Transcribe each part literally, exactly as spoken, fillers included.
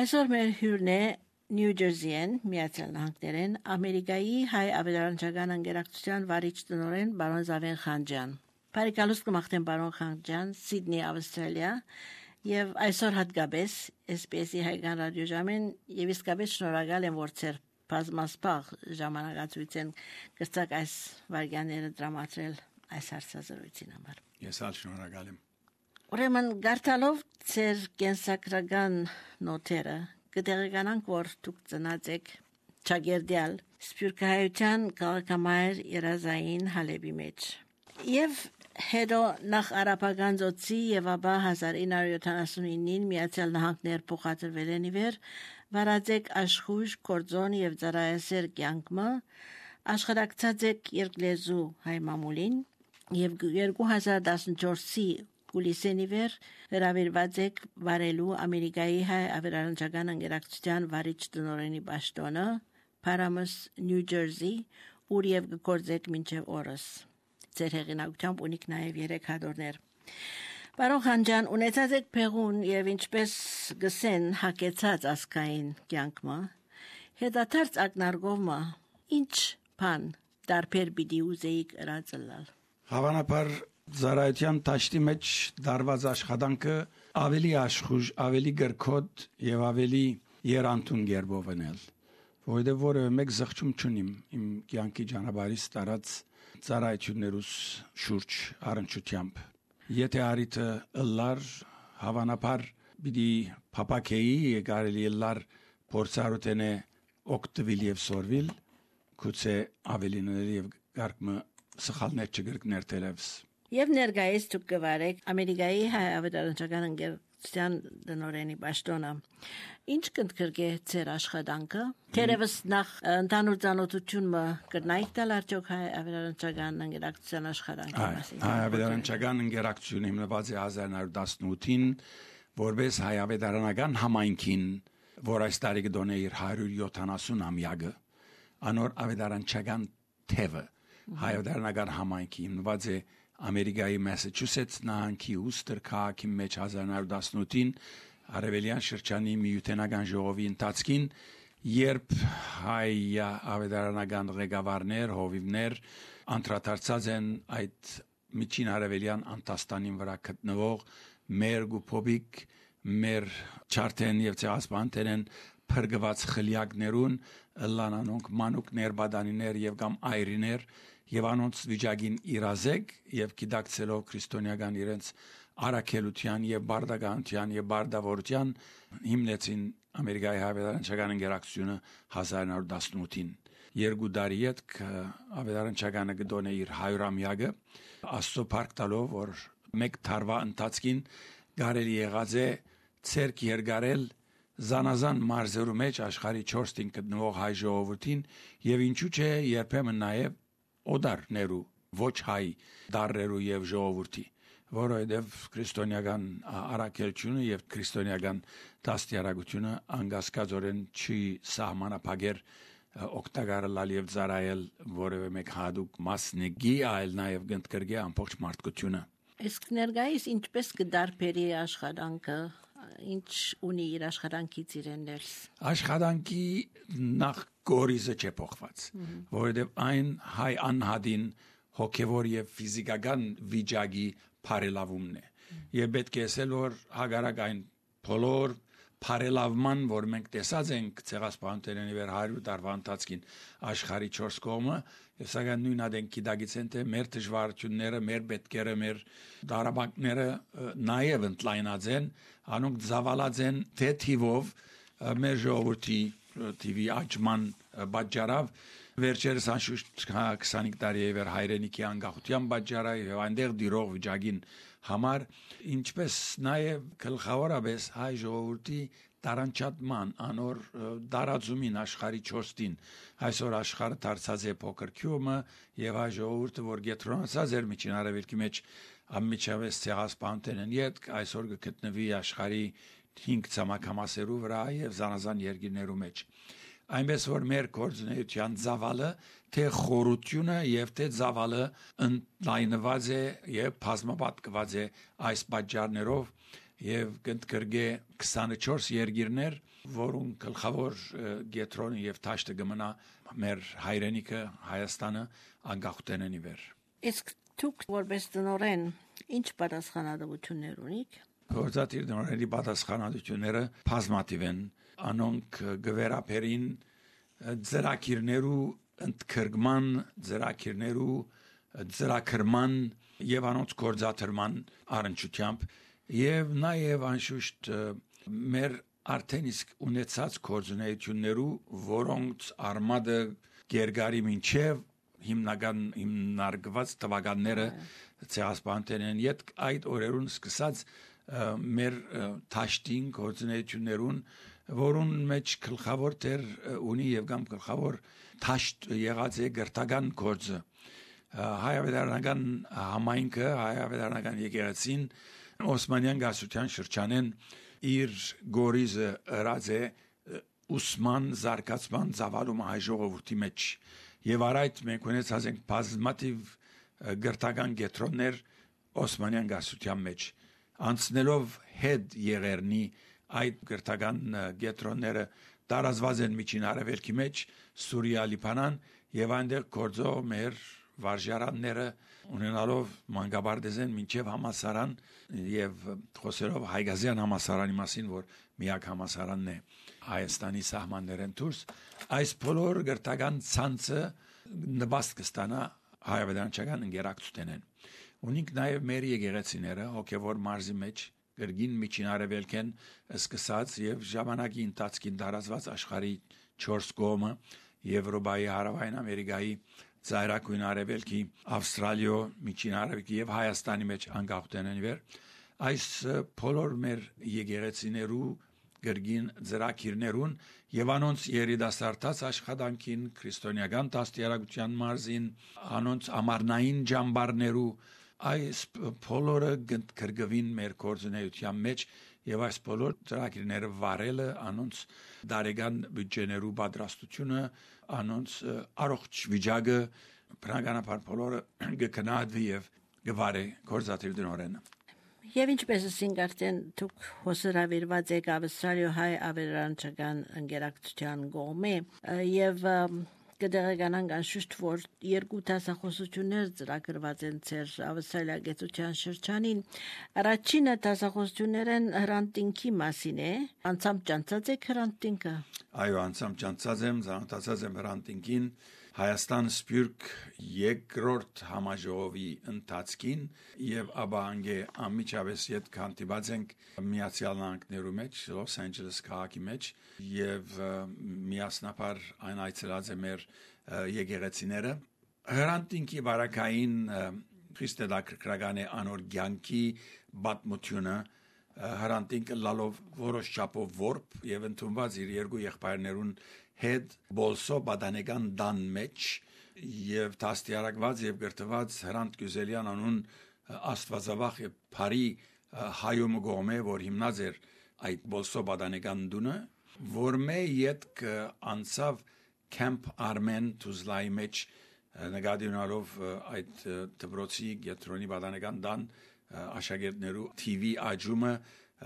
Այսօր մեր հյուրն է Նյու Ջերսիեն, Միացյալ Նահանգներեն, Ամերիկայի հայ ավետարանչական ընկերակցության վարիչ տնօրեն պարոն Զավեն Խանջյան։ Բարեկալուստ կմաղթեմ պարոն Խանջյան, Սիդնի, Ավստրալիա, եւ այսօր հատկապես S B S-ի հայկական ռադիոժամեն եւ իսկապես շնորհակալ եմ, որ ծեր բազմասպաղ ժամանակացույցեն կստակ այս վարյաները դրամատրել այս հարցազրույցին համար։ Ես ալ շնորհակալ եմ։ Ուրեմն գարտալով ծեր կենսակրական նոթերը կտեղեկանանք, որ դուք ծնած եք ճագերդյալ սփյուռքահայության քաղաքամայր երազային հալեբի մեջ եւ հետո նախ արաբական ծոցի եւ ապա հազար ինը հարյուր յոթանասունինին Միացյալ Նահանգներ փոխադրվել են իվեր վարածեք աշխույժ կորձոն եւ ծառայասեր կյանքը աշխարհակցած եք երկլեզու հայ մամուլին եւ երկու հազար տասնչորսի Գուլիսենիվեր հրավիրված եք վարելու Ամերիկայի հայ ավետարանչական ընկերակցության վարիչ տնօրենի պաշտոնը Paramus, New Jersey, ուր եւ գործեք մինչեւ օրս։ Ձեր հեղինակությամբ ունիք նաեւ երեք հատորներ։ Պարոն Խանջյան, ունեցած եք փեղուն եւ ինչպես գսեն հակեցած ասկային կյանքը, հետադարձ ակնարկովը ինչ բան դարբեր պիտի ուզեիք ըրածլալ։ Հավանաբար Զարայության տաշտի մեջ դարված աշխատանքը ավելի աշխուժ, ավելի գրքոտ եւ ավելի երանտուն գերբով ենել, որովհետեւ որևէ մեկ զղջում չունիմ իմ կյանքի ճանապարհից տարած ծառայություններուս շուրջ առնչությամբ։ Եթե արիթը ըլլար հավանաբար պիտի փապակեի կարելի ըլլար փորձառութենե օկտվիլ եւ սորվիլ գուցե ավելինել եւ գարկմը սխալներ չգրկներ տելևս։ Եվ ներկայիս դուք կվարեք Ամերիկայի հայ ավետարանչական ընկերության տնօրենի պաշտոնը։ Ինչ կընդգրկե ձեր աշխատանքը։ Թերևս նախ ընդհանուր ծանոթությունը կրնայիք տալ արդյոք հայ ավետարանչական ընկերակցության աշխատանքի մասին։ Հայ ավետարանչական ընկերակցությունը հիմնված է հազար ինը հարյուր տասնութին որպես հայ ավետարանական համայնքին, որ այս տարի կդոնե իր հարյուր յոթանասուն ամյակը, անոր ավետարանչական թևը հայ ավետարանական համայնքի հիմնված է Ամերիկայի Մասաչուսեթս նահանգի Ուստեր քաղաքի մեջ հազար ինը հարյուր տասնութին արևելյան շրջանի միութենական ժողովի ընթացքին, երբ հայ ավետարանական ղեկավարներ, հովիվներ անդրադարձած են այդ միջին արևելյան Անտաստանին վրա գտնվող մեր գուփոբիկ, մեր չարթեն եւ ցեղասպաններն փրկված խլյակներուն, լանանոնք մանուկներ, բադանիներ եւ կամ այրիներ եւ անոնց վիճակին իրազեկ եւ գիտակցելով քրիստոնեական իրենց արաքելության եւ բարդականության եւ բարդավորության հիմնեցին Ամերիկայի ավետարանչական ընկերակցությունը հազար ինը հարյուր տասնութին։ Երկու տարի հետ ավետարանչականը գտոնե իր հարյուրամյակը Աստծո փառք տալով, որ մեկ տարվա ընթացքին կարելի եղած է ցերկ երգարել Զանազան մարզերու մեջ աշխարհի չորս տին գտնվող հայ ժողովրդին եւ ինչու՞ չէ երբեմն նաեւ օդարներու ոչ հայ դարերու եւ ժողովրդի, որովհետեւ քրիստոնեական արաքելությունը եւ քրիստոնեական դաստիարակությունը անգասկածորեն չի սահմանափակեր օկտագարալ եւ ծառայել որևէ մեկ հadoop մասնիկի, այլ նաեւ գնդկրգե ամբողջ մարդկությունը։ Իսկ ներկայիս ինչպես կդարբերի աշխատանքը, ինչ ունի իր աշխատանքից իրեններ։ Աշխատանքի նախ գորիզը չէ փոխված, որովհետև այն հայ անհադին հոգևոր եւ ֆիզիկական վիճակի բարելավումն է։ Եվ պետք է ասել, որ հագարակ այն բոլոր բարելավման, որ մենք տեսած ենք ցեղասպանությունների վեր հարյուր տարվա ընթացքին աշխարհի չորս կողմը, եւ սակայն նույն ադեն գիտակից են թե մեր դժվարությունները, մեր պետքերը, մեր դարաբանքները նաեւ ընդլայնած են, անոնք զավալած են թե թիվով մեր ժողովրդի տիվի աճման բաժարավ վերջերս անշուշտ քսանհինգ տարի է վեր հայրենիքի անկախության բաժարը եւ այնտեղ դիրող վիճակին համար ինչպես նաեւ գլխավորապես հայ ժողովրդի տարանչատման անոր դարածումին աշխարհի չորս տին այսօր աշխարհը դարձած է փոքր քյումը եւ հայ ժողովուրդը որ գետրոնացած էր միջին արևելքի մեջ ամիջավես ցեղասպաններն իդ այսօր գտնվի աշխարհի հինգ ցամաքամասերու վրա եւ զանազան երկիրներու մեջ այնպես որ մեր կորձունեության զավալը թե խորությունը եւ թե զավալը ընդլայնված է եւ բազմապատկված է այս բաժարներով եւ կընդգրկե քսանչորս երկիրներ, որոնք գլխավոր գետրոնը եւ թաշտը գմնա մեր հայրենիքը Հայաստանը անկախութենեն իվեր։ Իսկ դուք որպես տնօրեն ինչ պատասխանատվություններ ունիք։ Գործադիր տնօրենի պատասխանատվությունները բազմաթիվ են, անոնք գվերապերին ծրագիրներու ընդգրկման, ծրագիրներու ծրագրման եւ անոնց գործադրման առընչությամբ եւ նաեւ անշուշտ մեր արդեն իսկ ունեցած գործունեություններու, որոնց արմատը գերգարի մինչև հիմնական հիմնարկված տվականները ցեղասպաններն իդ այդ օրերուն սկսած մեր թաշտին գործունեություններուն, որուն մեջ գլխավոր դեր ունի եւ կամ գլխավոր թաշտ եղած է գրթական գործը հայավետարանական համայնքը հայավետարանական եկեղեցին Օսմանյան գասության շրջանեն իր գորիզը ըրած է ուսման զարգացման ծավալումը հայ ժողովրդի մեջ եւ առայդ մենք ունեցած ենք բազմաթիվ գրթական կետրոններ Օսմանյան գասության մեջ անցնելով հետ եղերնի այդ գրթական կետրոնները տարածված են միջին արևելքի մեջ Սուրիա, Լիբանան եւ այնտեղ գործող մեր վարժարանները ունենալով մանկաբարձեն մինչև համասարան եւ խոսելով Հայգազյան համասարանի մասին, որ միակ համասարանն է Հայաստանի սահմաններեն դուրս, այս բոլոր գրթական ցանցը նպաստ կստանա հայավետարանչական ընկերակցութենեն։ Ունենք նաեւ մեր եկեղեցիները հոգեվոր մարզի մեջ գրգին միջին արևելքեն սկսած եւ ժամանակի ընթացքին տարածված աշխարհի չորս կողմը Եվրոպայի, Հարավային Ամերիկայի, Ծայրակույն Արևելքի, Ավստրալիա, Միջին Արևելքի եւ Հայաստանի մեջ անկախութենեն վեր այս բոլոր մեր եկեղեցիներու գրգին ծրագիրներուն եւ անոնց երիտասարդաց աշխատանքին քրիստոնեական դաստիարակության մարզին անոնց ամառնային ջամբարներու այս բոլորը կրկվին մեր գործունեության մեջ եւ այս բոլոր ծրագիրները վարելը անոնց դարեգան բյուջեներու պատրաստությունը անոնց առողջ վիճակը բնականաբար բոլորը կգնահատվի եւ կվարի գործադիր տնօրենը Եվ ինչպես ասենք արդեն դուք հոսրավիրված եք Ավստրալիա հայ ավետարանչական ընկերակցության կողմէ եւ կդեղեկանանք անշուշտ որ երկու դասախոսություններ ծրագրված են ծեր Ավստրալիա գեցության շրջանին առաջինը դասախոսություններն հրանտինքի մասին է անցամ ճանցած եք հրանտինքը այո անցամ ճանցած եմ զանոթացած եմ հրանտինքին Հայաստան Սփյուռք երկրորդ համաժողովի ընթացքին եւ աբանգե ամիջավես յետ քանտիբած ենք Միացյալ Նահանգներու մեջ Լոս Անջելես քաղաքի մեջ եւ միասնապար այն այցելած է մեր եկեղեցիները հրանտինքի բարակային քրիստոնեական անոր ցանկի բատմությունը հրանտինքը լալով որոշ չափով որբ եւ ընդունված իր երկու եղբայրներուն հետ բոլսո բադանեգան դան մեջ եւ դաստիարակված եւ գրթված հրանտ Գյուզելյան անուն աստվածավախ եւ բարի հայոմ գոմե որ հիմնած էր այդ բոլսո բադանեգան դունը որ մե յետք անցավ Camp Armen Tuzlայի մեջ նկատի ունենալով այդ դպրոցի գետրոնի բադանեգան դան աշակերտներու T V աջումը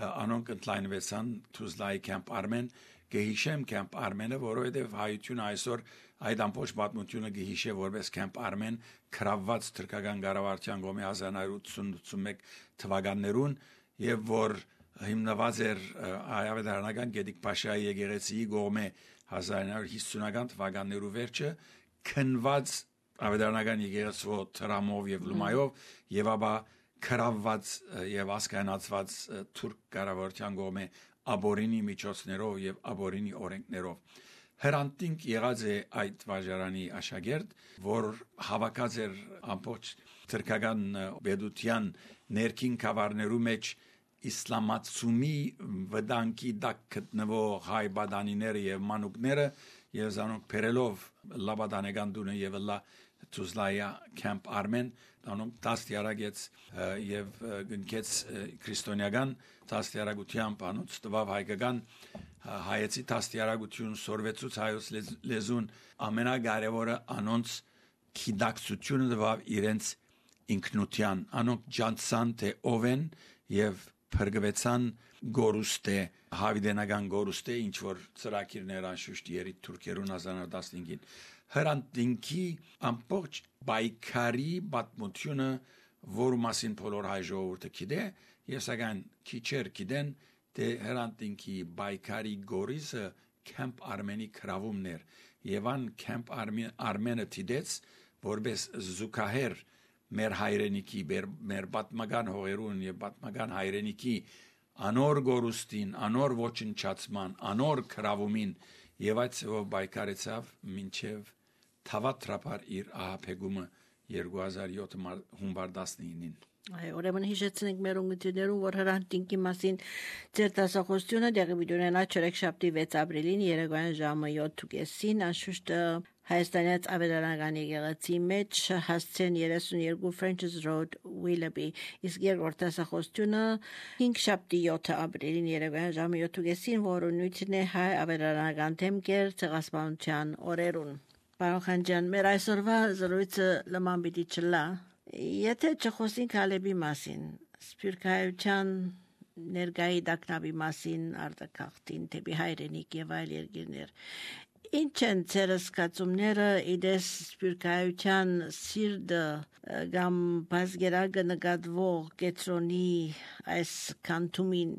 անոնք ընդլայնվեցան Tuzlայի Camp Armen Գեհիշեմ Camp Armen-ը, որովհետև հայությունը այսօր այդ ամբողջ պատմությունը գեհիշե որպես Camp Armen քրավված թրքական կառավարության կողմի հազար նոյ ութսուն ութսունմեկ թվականներուն եւ որ հիմնված էր հայավետարանական Գետիկ Փաշայի եկեղեցիի կողմի հազար նոյ հիսունական թվականներու վերջը քնված ավետարանական եկեղեցու տրամով եւ լումայով եւ ապա քրավված եւ ասկանացված թուրք կառավարության կողմի աբորինի միջոցներով եւ աբորինի օրենքներով հրանտինք եղած է այդ վարժարանի աշակերտ որ հավաքած էր ամբողջ թրքական բեդության ներքին կավարներու մեջ իսլամացումի վտանգի դակ գտնվող հայ բադանիները եւ մանուկները եւ զանոնք փերելով լաբադանեգան դունը եւ լա Tuzlaya Camp Armen անոնք դաստիարակեց եւ գնքեց քրիստոնեական դաստիարակությամբ անոնց տվավ հայկական հայեցի դաստիարակություն սորվեցուց հայոց լեզուն ամենակարևորը անոնց քիդակցությունը տվավ իրենց ինքնության անոնք ջանցան թե ով են եւ փրկվեցան գորուստե հավիդենական գորուստե ինչ որ ծրագիրներ անշուշտ երիտ թուրքերուն հազար նորը տասնհինգին հրանտինքի ամբողջ բայկարի պատմությունը որ մասին բոլոր հայ ժողովուրդը գիտե եւ սակայն քիչեր գիտեն թե հրանտինքի բայկարի գորիսը Camp Armeni քրավումներ եւ ան Camp Armeni դիտեց որպես զուգահեռ մեր հայրենիքի մեր պատմական հողերուն եւ պատմական հայրենիքի անոր գորուստին անոր ոչնչացման անոր քրավումին եւ այդ ծով բայկարեցավ մինչեւ թավատրապար իր ահապեգումը երկու հազար յոթ հունվար տասնինին Այ ուրեմն հիշեցնենք մեր ունգընտիրներուն որ հրանտինքի մասին ձեր դասախոսությունը դեղի վիդյոներնա չորեքշաբթի վեց ապրիլին երեկոյան ժամը յոթին անշուշտ Հայաստանից ավետարանական եկեղեցի մեջ հասցեն երեսունյերկու French's Road Willoughby իսկ երկրորդ դասախոսությունը հինգշաբթի յոթ ապրիլին երեկոյան ժամը յոթին որը նույնն է հայ ավետարանական թեմքեր ցեղասպանության օրերուն Պարոն Խանջյան մեր այսօրվա զրույցը լման պիտի չլա Եթե չխոսենք Հալեբի մասին, Սփյուռքահայության ներգայի դակնաբի մասին արտակաղթին թեպի հայրենիք եւ այլ երկիրներ, ինչ են ձեր զգացումները իդես Սփյուռքահայության սիրտը կամ բազգերագը նկատվող կետրոնի այս կանտումին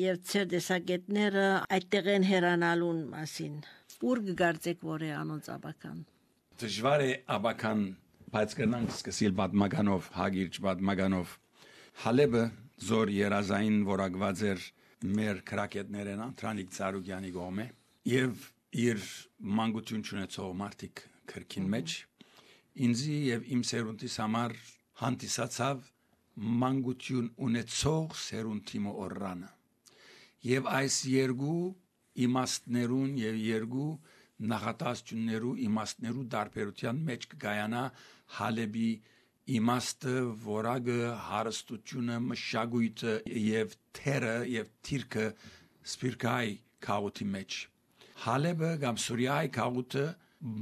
եւ ձեր դեսագետները այդտեղ են հեռանալուն մասին, ուր կգարձեք որ է անոնց աբական Դժվար է աբական Բայց կնանք սկսիլ պատմականով, հագիրճ պատմականով Հալեբը զոր երազային որակված էր մեր քրակետներեն Անտրանիկ Ծառուկյանի գոմե եւ իր մանկություն ունեցող մարդիկ քրքին մեջ ինձի եւ իմ սերունդիս համար հանդիսացավ մանկություն ունեցող սերունդի օրրանը եւ այս երկու իմաստներուն եւ երկու նախատասություններու իմաստներու դարբերության մեջ կգայանա Հալեբի իմաստը, որակը, հարստությունը, մշակույթը եւ թերը եւ թիրքը Սփյուռքահայ քաղաքի մեջ։ Հալեբը կամ Սուրիայի քաղաքը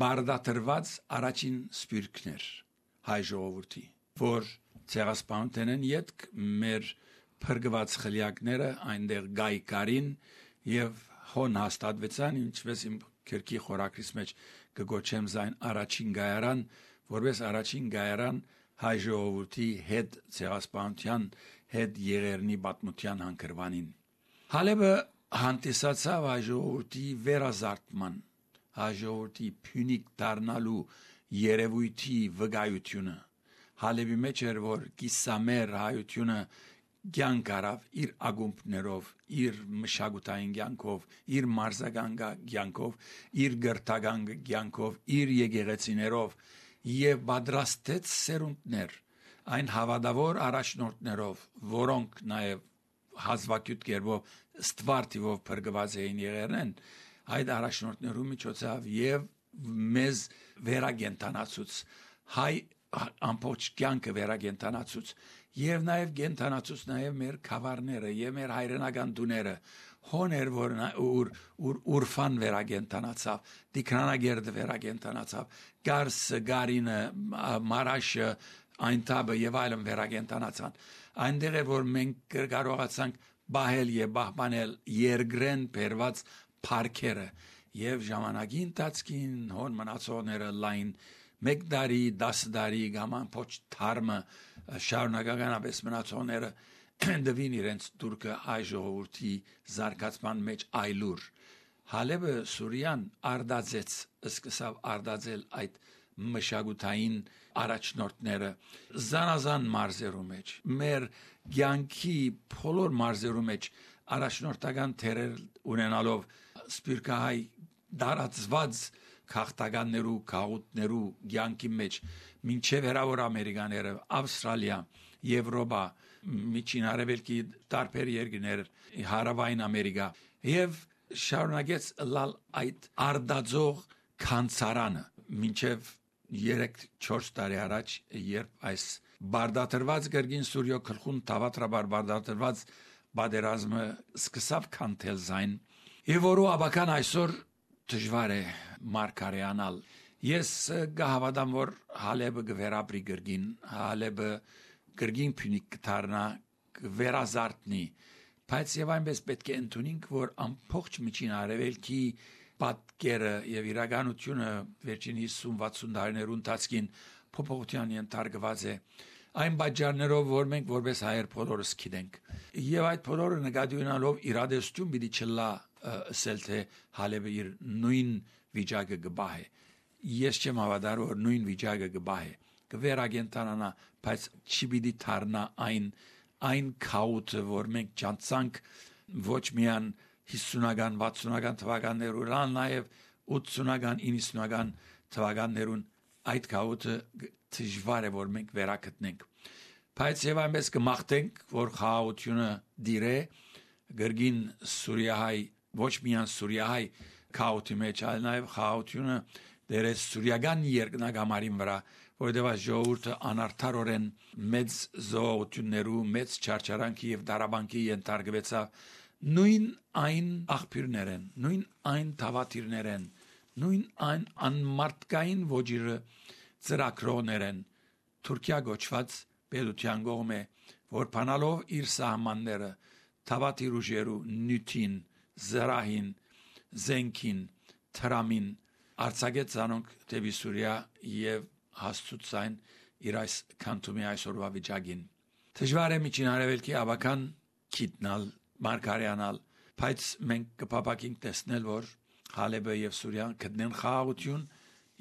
բարդատրված առաջին սփյուռքներ հայ ժողովրդի, որ ցեղասպանության յետք մեր փրկված խլիակները այնտեղ գայկարին եւ հոն հաստատվեցան, ինչպես իմ Քերքի խորակրիս մեջ կգոչեմ զայն առաջին գայարան, որպես առաջին գայարան հայ ժողովրդի հետ ցեղասպանության հետ եղերնի պատմության հանգրվանին։ Հալեբը հանդիսացավ հայ ժողովրդի վերազարդման, հայ ժողովրդի փյունիկ դառնալու երևույթի վկայությունը։ Հալեբի մեջ էր որ կիսամեր հայությունը Գյանք արավ իր ագումբներով, իր մշակութային գյանքով, իր մարզական գյանքով, իր գրթական գյանքով, իր եկեղեցիներով եւ պատրաստեց սերունդներ այն հավատավոր առաջնորդներով, որոնք նաեւ հազվագյուտ կերպով ստվարտիվով փրկված էին եղերն, այդ առաջնորդներու միջոցով եւ մեզ վերագենտանացուց հայ ամբողջ կյանքը վերագենտանացուց եւ նաեւ գենտանացուց նաեւ մեր խավարները եւ մեր հայրենական դուները հոներ որ ուր ուր ուրֆան վերագենտանացավ դիքրանագերդը վերագենտանացավ գարսը գարինը մարաշը այնտաբը եւ այլն վերագենտանացան այնտեղ է որ մենք կարողացանք բահել եւ բահբանել երգրեն բերված парքերը եւ ժամանակի ընթացքին հոն մնացողները լայն մեկ դարի, դաս դարի գաման փոչ թարմը շարունակականապես մնացողները դվին իրենց դուրկը այ ժողովրդի զարգացման մեջ այլուր Հալեբը Սուրիան արդածեց սկսավ արդածել այդ մշակութային առաջնորդները զանազան մարզերու մեջ մեր ցանկի բոլոր մարզերու մեջ առաջնորդական թերեր ունենալով սփյուռքահայ դարածված քաղաքականներու, քաղուտներու ցանկի մեջ մինչև հեռավոր ամերիկաները, Ավստրալիա, Եվրոպա, Միջին Արևելքի տարբեր երկրներ, Հարավային Ամերիկա եւ շարունակեց լալ այդ արդածող քանցարանը մինչև երեք չորս տարի առաջ երբ այս բարդատրված գրգին Սուրիո քլխուն թավատրաբար բարդատրված բادرազմը սկսավ քանթել զայն եւ որու աբական այսօր դժվար է մարգարեանալ ես գահավադամ որ Հալեբը գվերապրի գրգին Հալեբը գրգին փունիկ կդառնա վերազարդնի Բայց եւ այնպես պետք է ընդունենք, որ ամբողջ միջին արևելքի պատկերը եւ իրականությունը վերջին հիսուն վաթսուն տարիներու ընթացքին փոփոխության ենթարկված է այն բաժաններով, որ մենք որպես հայեր բոլորս գիտենք եւ այդ բոլորը նկատի ունենալով իրադարձություն պիտի չլա ասել թե Հալեբը իր նույն վիճակը գբահե ես չեմ հավատար որ նույն վիճակը գբահե կվերագենտանանա բայց չի պիտի դառնա այն այն քաոթը որ մենք ճանցանք ոչ միան հիսունական վաթսունական թվականներում այլ նաեւ ութսունական իննսունական թվականներուն այդ քաոթը դժվար է որ մենք վերակտնենք բայց եւ այնպես կմաղթենք որ քաոթությունը դիրե գրգին Սուրիահայ ոչ միան Սուրիահայ քաոթի մեջ այլ նաեւ քաոթությունը դերե Սուրիական երկնագամարին վրա որովհետեւ ժողովուրդը անարդարորեն մեծ զոհություններու մեծ չարչարանքի եւ դարաբանկի ենթարկվեցավ նույն այն աղբյուրներեն նույն այն թավաթիրներեն նույն այն անմարտկային ոճիրը ծրակրոներեն Թուրքիա գոչված պետության կողմէ որ բանալով իր սահմանները թավաթիր ուժերու նյութին զրահին զենքին թրամին արձակեց անոնք դեպի Սուրիա եւ հաստուցային իր այս քանթումի այսօրվա վիճակին դժվար է միջին արևելքի ավական գիտնալ մարգարյանալ բայց մենք կփապակենք տեսնել որ Հալեբը եւ Սուրիան գտնեն խաղաղություն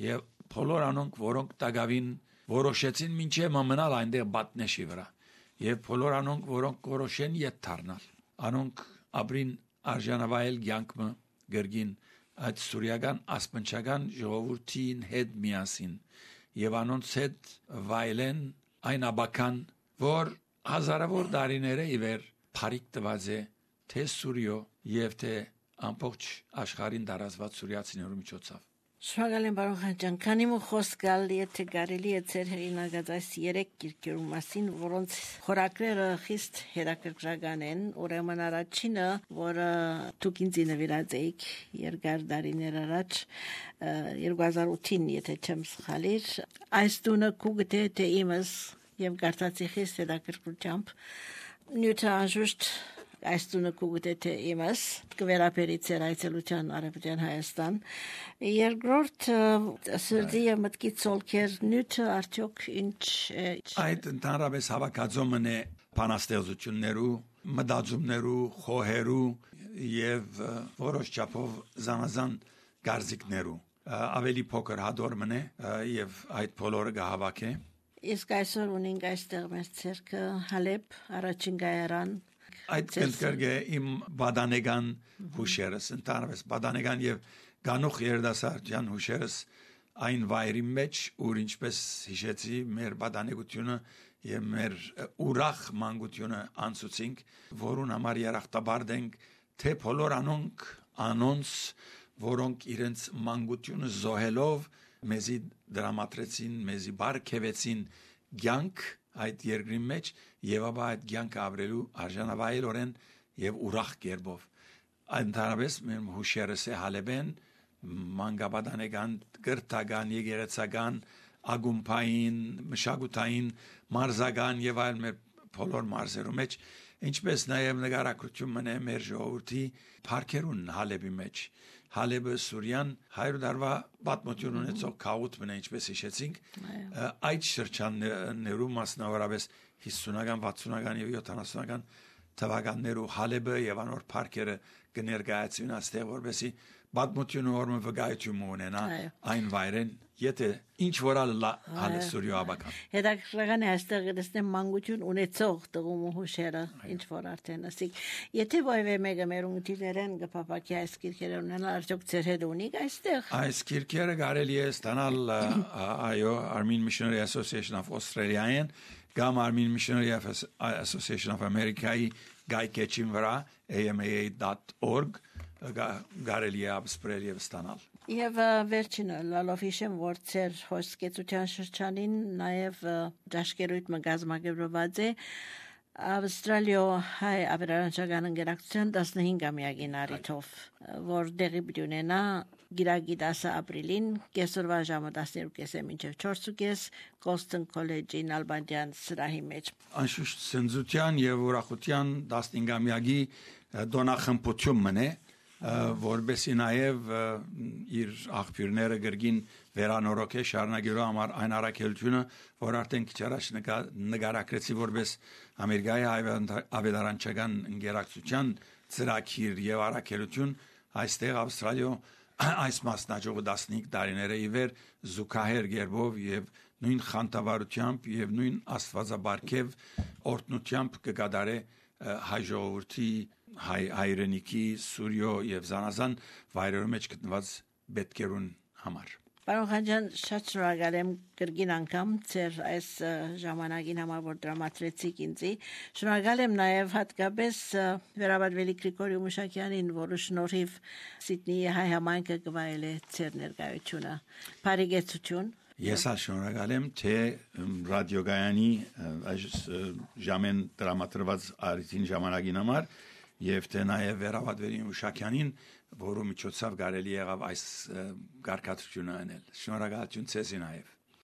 եւ բոլոր անոնք որոնք տագավին որոշեցին մինչև մնալ այնտեղ բատնեշի վրա եւ բոլոր անոնք որոնք որոշեն ետ դառնալ անոնք ապրին արժանավայել կյանքը գրգին այդ սուրիական ասպնչական ժողովրդին հետ միասին եւ անոնց հետ վայելեն այն աբական որ հազարավոր տարիներ ի վեր փարիկ տված է թե Սուրիո եւ թե ամբողջ աշխարհին տարածված սուրիացիներու միջոցով Շնորհակալ եմ բարոն Խանջան, քանի մը խոսք գալ եթե կարելի է ծեր հերինագած այս երեք գիրքերու մասին, որոնց խորակրերը խիստ հետաքրքրական են, ուրեմն առաջինը, որը դուք ինձ նվիրած եք երկար տարիներ առաջ երկու հազար ութին, եթե չեմ սխալիր, այս տունը կուգտե թե իմս եւ գարտացի խիստ հետաքրքրությամբ նյութը անժուշտ այս տունը կուգտե թե իմս կվերապերի ծեր այցելության Արևմտյան Հայաստան երկրորդ սրդի եւ մտքի ցոլքեր նյութը արդյոք ինչ այդ ընդհանրապես հավաքածոմն է բանաստեղծություններու մտածումներու խոհերու եւ որոշ չափով զանազան գարզիկներու ավելի փոքր հադորմն է եւ այդ բոլորը գահավաք է իսկ այսօր ունենք այստեղ մեր ցերկը Հալեբ առաջին գայարան Այդ կենտրգե իմ բադանեգան հուշերս, ընդհանրապես բադանեգան եւ գանուխ երդասարտյան հուշերս այն վայրի մեջ, ուր ինչպես հիշեցի մեր բադանեգությունը եւ մեր ուրախ մանկությունը անցուցինք, որուն համար երախտաբար դենք, թե բոլոր անոնք անոնց, որոնք իրենց մանկությունը զոհելով մեզի դրամատրեցին, մեզի բարգեւեցին ցանկ այդ երկրի մեջ եւ ապա այդ ցանկը ապրելու արժանավայելորեն եւ ուրախ կերպով ընդհանրապես մեր հուշերս է Հալեբեն մանկաբադանեգան գրթական եկեղեցական ագումբային մշակութային մարզական եւ այլ մեր բոլոր մարզերու մեջ ինչպես նաեւ նկարագրություն մնե մեր ժողովրդի парքերուն Հալեբի մեջ Հալեբը Սուրիան հայր դարվա պատմություն ունեցող քաոթ մնա ինչպես հիշեցինք այդ շրջաններու մասնավորապես հիսունական վաթսունական եւ յոթանասունական թվականներու Հալեբը եւ անոր парքերը կներկայացվին այստեղ որովհետեւ պատմությունը որը վկայություն ունենա այն վայրեն եթե ինչ որալ հալը Սուրիո աբական հետաքրքրական է այստեղ դեսնեմ մանկություն ունեցող տղու հուշերը ինչ որ արդեն ասիկ եթե ոյվե մեկը մեր ունտիներեն գփապակի այս գիրքերը ունենալ արդյոք ծեր հետ ունիք այստեղ այս գիրքերը կարելի է ստանալ այո Armenian Missionary Association of Australia-ին կամ Armenian Missionary Association of America-ի գայքեչին վրա a m a a dot org գարելի է ապսպրել եւ ստանալ Եվ վերջինը լալով հիշեմ, որ ծեր հոսքեցության շրջանին նաև դաշկերույթ մգազմագերված է Ավստրալիո հայ ավերանչական ընկերակցության տասնհինգամյակին առիթով, որ դեղի պիտի ունենա Գիրագի դասը ապրիլին կեսօրվա ժամը տասներկու կեսը մինչև չորս կես Colston College-ի Նալբանդյան սրահի մեջ։ Անշուշտ սնձության եւ ուրախության տասնհինգամյակի դոնախմբություն մնե, որբեսի նաեւ իր աղբյուրները գրգին վերանորոգե շարունակելու համար այն առաքելությունը, որ արդեն քիչ առաջ նկարագրեցի որպես Ամերիկայի ավետարանչական ինտերակցիան ծրագիր եւ առաքելություն այստեղ Ավստրալիո այս մասնաճյուղը տասնհինգ տարիները ի վեր զուգահեռ գերբով եւ նույն խանդավառությամբ եւ նույն աստվածաբարքև օրտնությամբ կգադարե հայ ժողովրդի հայ հայրենիքի Սուրյո եւ Զանազան վայրերում մեջ գտնված պետքերուն համար։ Պարոն Խանջյան, շատ շնորհակալ եմ կրկին անգամ ձեր այս ժամանակին համար, որ դրամատրեցիք ինձ։ Շնորհակալ եմ նաև հատկապես Վերաբադվելի Գրիգորի Մուշակյանին, որը շնորհիվ Սիդնեի հայ համայնքը կվայել է ձեր ներկայությունը։ Բարեկեցություն։ Ես շնորհակալ եմ թե ռադիոգայանի այս ժամեն դրամատրված արիթին ժամանակին համար եւ թե նաեւ Վերաբադվելի Մուշակյանին, որը միջոցով կարելի եղավ այս գարկատությունը անել։ Շնորհակալություն ցեզի նաեւ։